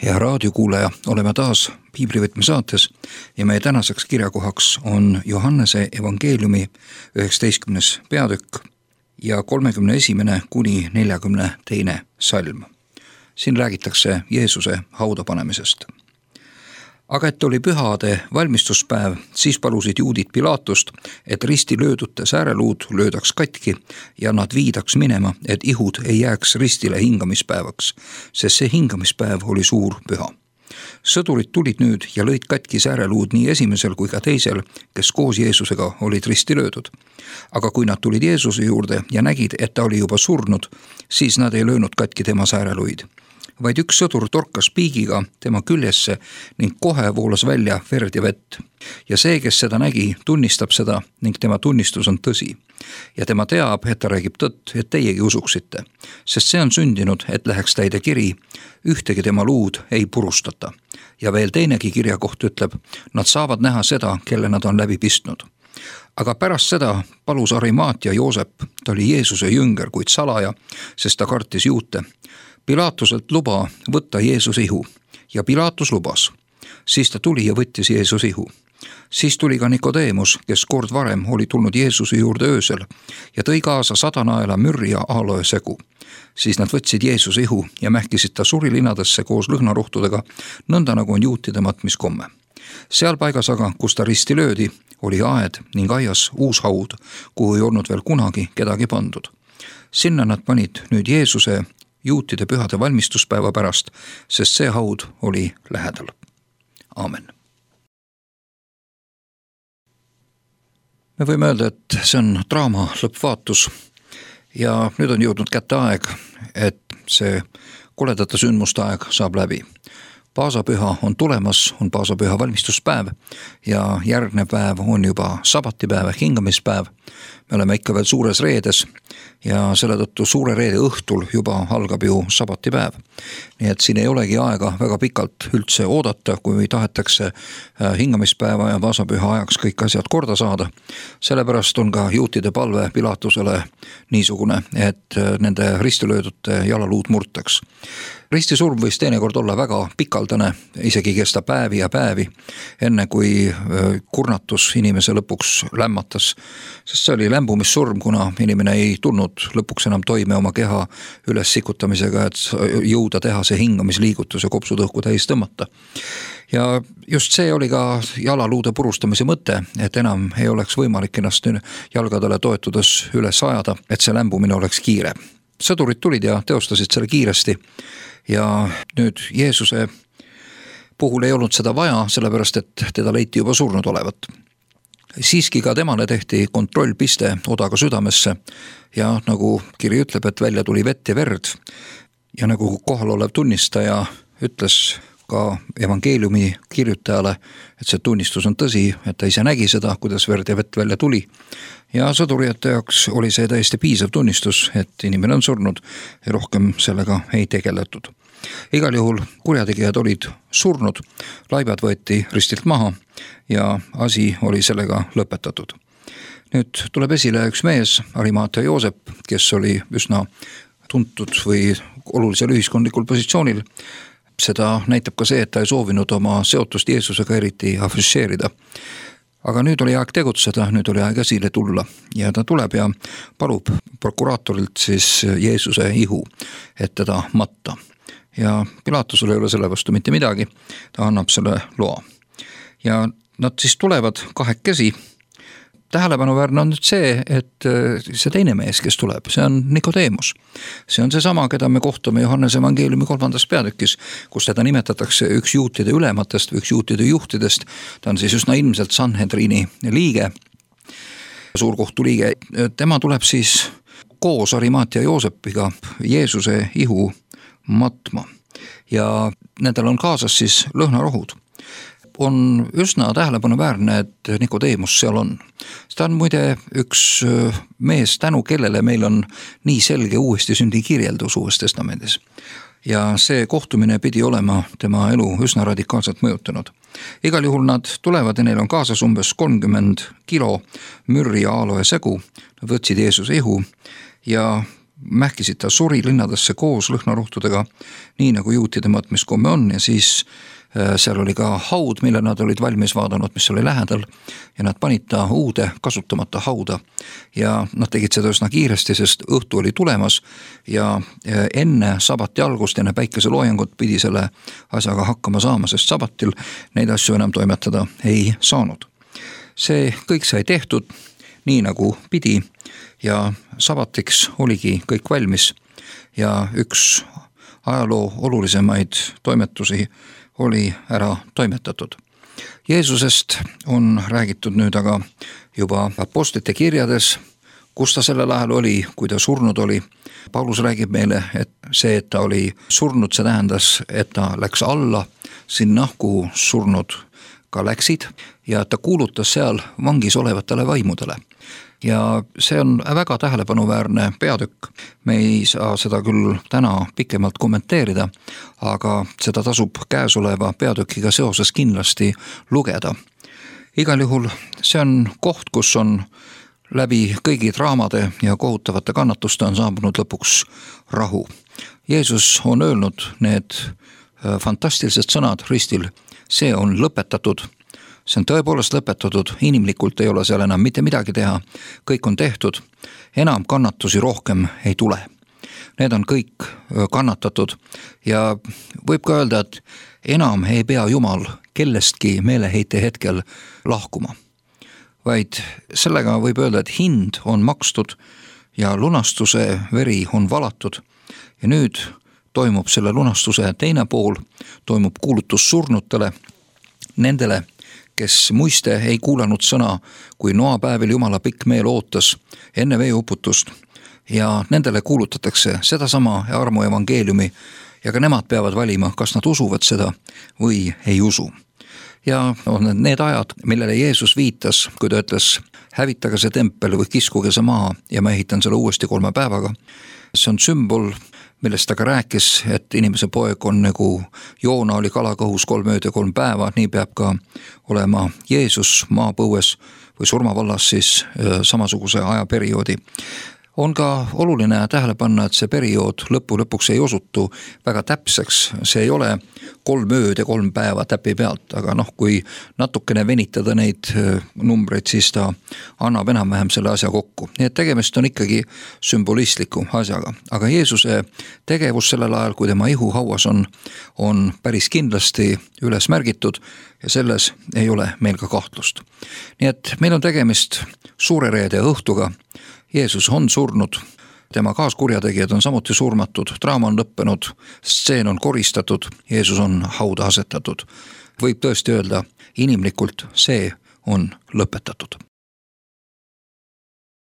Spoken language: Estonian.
Hea raadiokuulaja, oleme taas Piiblivõtme saates ja meie tänaseks kirjakohaks on Johannese evangeeliumi 19. peatükk ja 31. kuni 42. salm. Siin räägitakse Jeesuse hauda panemisest. Aga et oli pühade valmistuspäev, siis palusid juudid Pilatust, et risti löödute sääreluud löödaks katki ja nad viidaks minema, et ihud ei jääks ristile hingamispäevaks, sest see hingamispäev oli suur püha. Sõdurid tulid nüüd ja lõid katki sääreluud nii esimesel kui ka teisel, kes koos Jeesusega olid risti löödud. Aga kui nad tulid Jeesuse juurde ja nägid, et ta oli juba surnud, siis nad ei löönud katki tema sääreluid. Vaid üks sõdur torkas piigiga tema küljesse ning kohe voolas välja verd ja vett. Ja see, kes seda nägi, tunnistab seda ning tema tunnistus on tõsi. Ja tema teab, et ta räägib tõtt, et teiegi usuksite. Sest see on sündinud, et läheks täide kiri, ühtegi tema luud ei purustata. Ja veel teinegi kirjakoht ütleb, nad saavad näha seda, kelle nad on läbi pistnud. Aga pärast seda palus Arimaatia Joosep, ta oli Jeesuse jünger, kuid salaja, sest ta kartis juute. Pilatuselt luba võtta Jeesus ihu ja Pilatus lubas. Siis ta tuli ja võttis Jeesus ihu. Siis tuli ka Nikodeemus, kes kord varem oli tulnud Jeesuse juurde öösel ja tõi kaasa 100 naela mürri ja aloe segu. Siis nad võtsid Jeesuse ihu ja mähkisid ta surilinadesse koos lõhnarohtudega, nõnda nagu on juutide matmiskomme. Seal paigas aga, kus ta risti löödi, oli aed ning aias uus haud, kuhu ei olnud veel kunagi kedagi pandud. Sinna nad panid nüüd Jeesuse juutide pühade valmistuspäeva pärast, sest see haud oli lähedal. Aamen. Me võime öelda, et see on draama lõppvaatus ja nüüd on jõudnud kätte aeg, et see koledate sündmuste aeg saab läbi. Paasapüha on tulemas, on paasapüha valmistuspäev ja järgnev päev on juba sabatipäev ehk hingamispäev. Me oleme ikka veel suures reedes ja selle tõttu suure reede õhtul juba algab ju sabatipäev. Nii et siin ei olegi aega väga pikalt üldse oodata, kui tahetakse hingamispäeva ja paasapüha ajaks kõik asjad korda saada. Sellepärast on ka juutide palve Pilatusele niisugune, et nende ristilöödute jalaluud murtaks. Ristisurm võis teinekord olla väga pikaldane, isegi kesta päevi ja päevi, enne kui kurnatus inimese lõpuks lämmatas, sest see oli lämbumissurm, kuna inimene ei tulnud lõpuks enam toime oma keha üles sikutamisega, et jõuda teha see hingamisliigutus ja kopsud õhku täis tõmmata. Ja just see oli ka jalaluude purustamise mõte, et enam ei oleks võimalik ennast jalgadele toetudes üles ajada, et see lämbumine oleks kiire. Sõdurid tulid ja teostasid selle kiiresti ja nüüd Jeesuse puhul ei olnud seda vaja, sellepärast et teda leiti juba surnud olevat. Siiski ka temale tehti kontrollpiste odaga südamesse ja nagu kiri ütleb, et välja tuli vett ja verd ja nagu kohal olev tunnistaja ütles ka evangeeliumi kirjutajale, et see tunnistus on tõsi, et ta ise nägi seda, kuidas verd ja vett välja tuli. Ja sõdurijate jaoks oli see täiesti piisav tunnistus, et inimene on surnud ja rohkem sellega ei tegeletud. Igal juhul kurjategijad olid surnud, laibad võeti ristilt maha ja asi oli sellega lõpetatud. Nüüd tuleb esile üks mees, Arimaatia Joosep, kes oli üsna tuntud või olulisel ühiskondlikul positsioonil. Seda näitab ka see, et ta ei soovinud oma seotust Jeesusega eriti afišeerida. Aga nüüd oli aeg tegutseda, nüüd oli aeg esile tulla ja ta tuleb ja palub prokuraatorilt siis Jeesuse ihu, et teda matta. Ja Pilatusel ei ole selle vastu mitte midagi, ta annab selle loa. Ja nad siis tulevad kahekesi. Tähelepanuväärne on nüüd see, et see teine mees, kes tuleb, see on Nikodeemus. See on seesama, keda me kohtame Johannese evangeeliumi 3. peatükis, kus teda nimetatakse üks juutide ülematest või üks juutide juhtidest. Ta on siis üsna ilmselt Sanhedrini liige, suurkohtu liige. Tema tuleb siis koos Arimaatia Joosepiga Jeesuse ihu matma ja nendel on kaasas siis lõhnarohud. On üsna tähelepanuväärne, et Nikodeemus seal on. Ta on muide üks mees, tänu kellele meil on nii selge uuesti sündi kirjeldus Uues Testamendis. Ja see kohtumine pidi olema tema elu üsna radikaalselt mõjutanud. Igal juhul nad tulevad ja neil on kaasas umbes 30 kilo mürri ja aloe segu. Nad võtsid Jeesuse ihu ja mähkisid ta suri linnadesse koos lõhnarohtudega, nii nagu juutide mõõtmiskomme on, ja siis seal oli ka haud, mille nad olid valmis vaadanud, mis oli lähedal, ja nad panid ta uude kasutamata hauda. Ja nad tegid seda üsna kiiresti, sest õhtu oli tulemas ja enne sabati algust, enne päikeseloojangut pidi selle asjaga hakkama saama, sest sabatil neid asju enam toimetada ei saanud. See kõik sai tehtud nii nagu pidi ja sabatiks oligi kõik valmis ja üks ajaloo olulisemaid toimetusi oli ära toimetatud. Jeesusest on räägitud nüüd aga juba apostlite kirjades, kus ta sellel ajal oli, kui ta surnud oli. Paulus räägib meile, et see, et ta oli surnud, see tähendas, et ta läks alla sinna, kuhu surnud ka läksid ja ta kuulutas seal vangis olevatele vaimudele. Ja see on väga tähelepanuväärne peatükk. Me ei saa seda küll täna pikemalt kommenteerida, aga seda tasub käesoleva peatükiga seoses kindlasti lugeda. Igal juhul see on koht, kus on läbi kõigi draamade ja kohutavate kannatuste on saabunud lõpuks rahu. Jeesus on öelnud need fantastilised sõnad ristil, see on lõpetatud. See on tõepoolest lõpetatud, inimlikult ei ole seal enam mitte midagi teha, kõik on tehtud, enam kannatusi rohkem ei tule. Need on kõik kannatatud ja võib ka öelda, et enam ei pea Jumal kellestki meeleheite hetkel lahkuma. Vaid sellega võib öelda, et hind on makstud ja lunastuse veri on valatud ja nüüd toimub selle lunastuse teine pool, toimub kuulutus surnutele, nendele, kes muiste ei kuulanud sõna, kui noapäevil Jumala pikk meel ootas enne veeuputust ja nendele kuulutatakse sedasama armu evangeeliumi ja ka nemad peavad valima, kas nad usuvad seda või ei usu. Ja on need ajad, millele Jeesus viitas, kui ta ütles, hävitage see tempel või kiskuge see maha ja ma ehitan selle uuesti 3 päevaga. See on sümbol, millest ta ka rääkis, et inimese poeg on nagu Joona oli kalakõhus 3 ööd ja 3 päeva, nii peab ka olema Jeesus maapõues või surmavallas siis samasuguse ajaperioodi. On ka oluline tähele panna, et see periood lõpuks ei osutu väga täpseks, see ei ole 3 ööd ja 3 päeva täpi pealt, aga kui natukene venitada neid numbreid, siis ta annab enam-vähem selle asja kokku. Nii et tegemist on ikkagi sümbolistliku asjaga, aga Jeesuse tegevus sellel ajal, kui tema ihu hauas on päris kindlasti üles märgitud ja selles ei ole meil ka kahtlust. Nii et meil on tegemist suure reede õhtuga. Jeesus on surnud, tema kaaskurjategijad on samuti surmatud, draama on lõppenud, stseen on koristatud, Jeesus on hauda asetatud. Võib tõesti öelda, inimlikult see on lõpetatud.